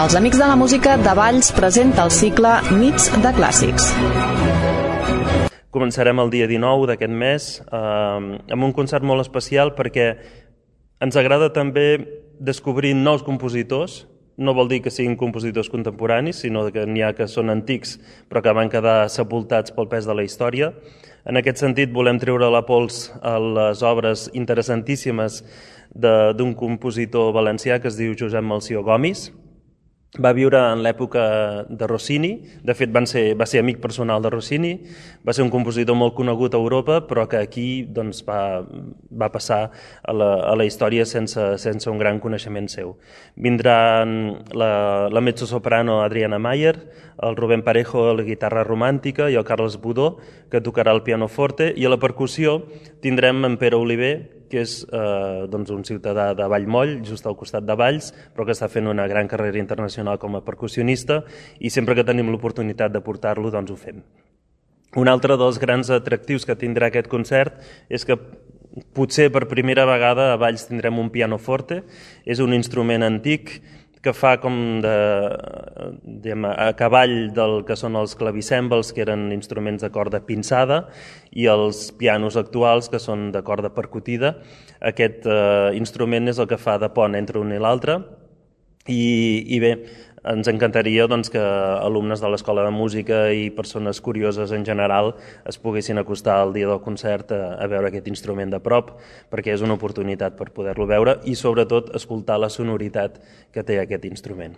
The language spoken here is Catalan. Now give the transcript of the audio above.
Els Amics de la Música de Valls presenta el cicle Nits de Clàssics. Començarem el dia 19 d'aquest mes amb un concert molt especial perquè ens agrada també descobrir nous compositors. No vol dir que siguin compositors contemporanis, sinó que n'hi ha que són antics però que van quedar sepultats pel pes de la història. En aquest sentit volem treure la pols a les obres interessantíssimes d'un compositor valencià que es diu Josep Melcior Gomis. Va viure en l'època de Rossini, de fet va ser amic personal de Rossini, va ser un compositor molt conegut a Europa, però que aquí va passar a la història sense un gran coneixement seu. Vindran la mezzosoprano Adriana Mayer, el Rubén Parejo a la guitarra romàntica i el Carles Budó, que tocarà el pianoforte, i a la percussió tindrem en Pere Oliver, que és un ciutadà de Vallmoll, just al costat de Valls, però que està fent una gran carrera internacional com a percussionista i sempre que tenim l'oportunitat de portar-lo, doncs ho fem. Un altre dels grans atractius que tindrà aquest concert és que potser per primera vegada a Valls tindrem un pianoforte. És un instrument antic que fa com a cavall del que són els clavicèmbals, que eren instruments de corda pinçada, i els pianos actuals, que són de corda percutida. Aquest instrument és el que fa de pont entre un i l'altre. I bé, ens encantaria que alumnes de l'Escola de Música i persones curioses en general es poguessin acostar al dia del concert a veure aquest instrument de prop, perquè és una oportunitat per poder-lo veure i sobretot escoltar la sonoritat que té aquest instrument.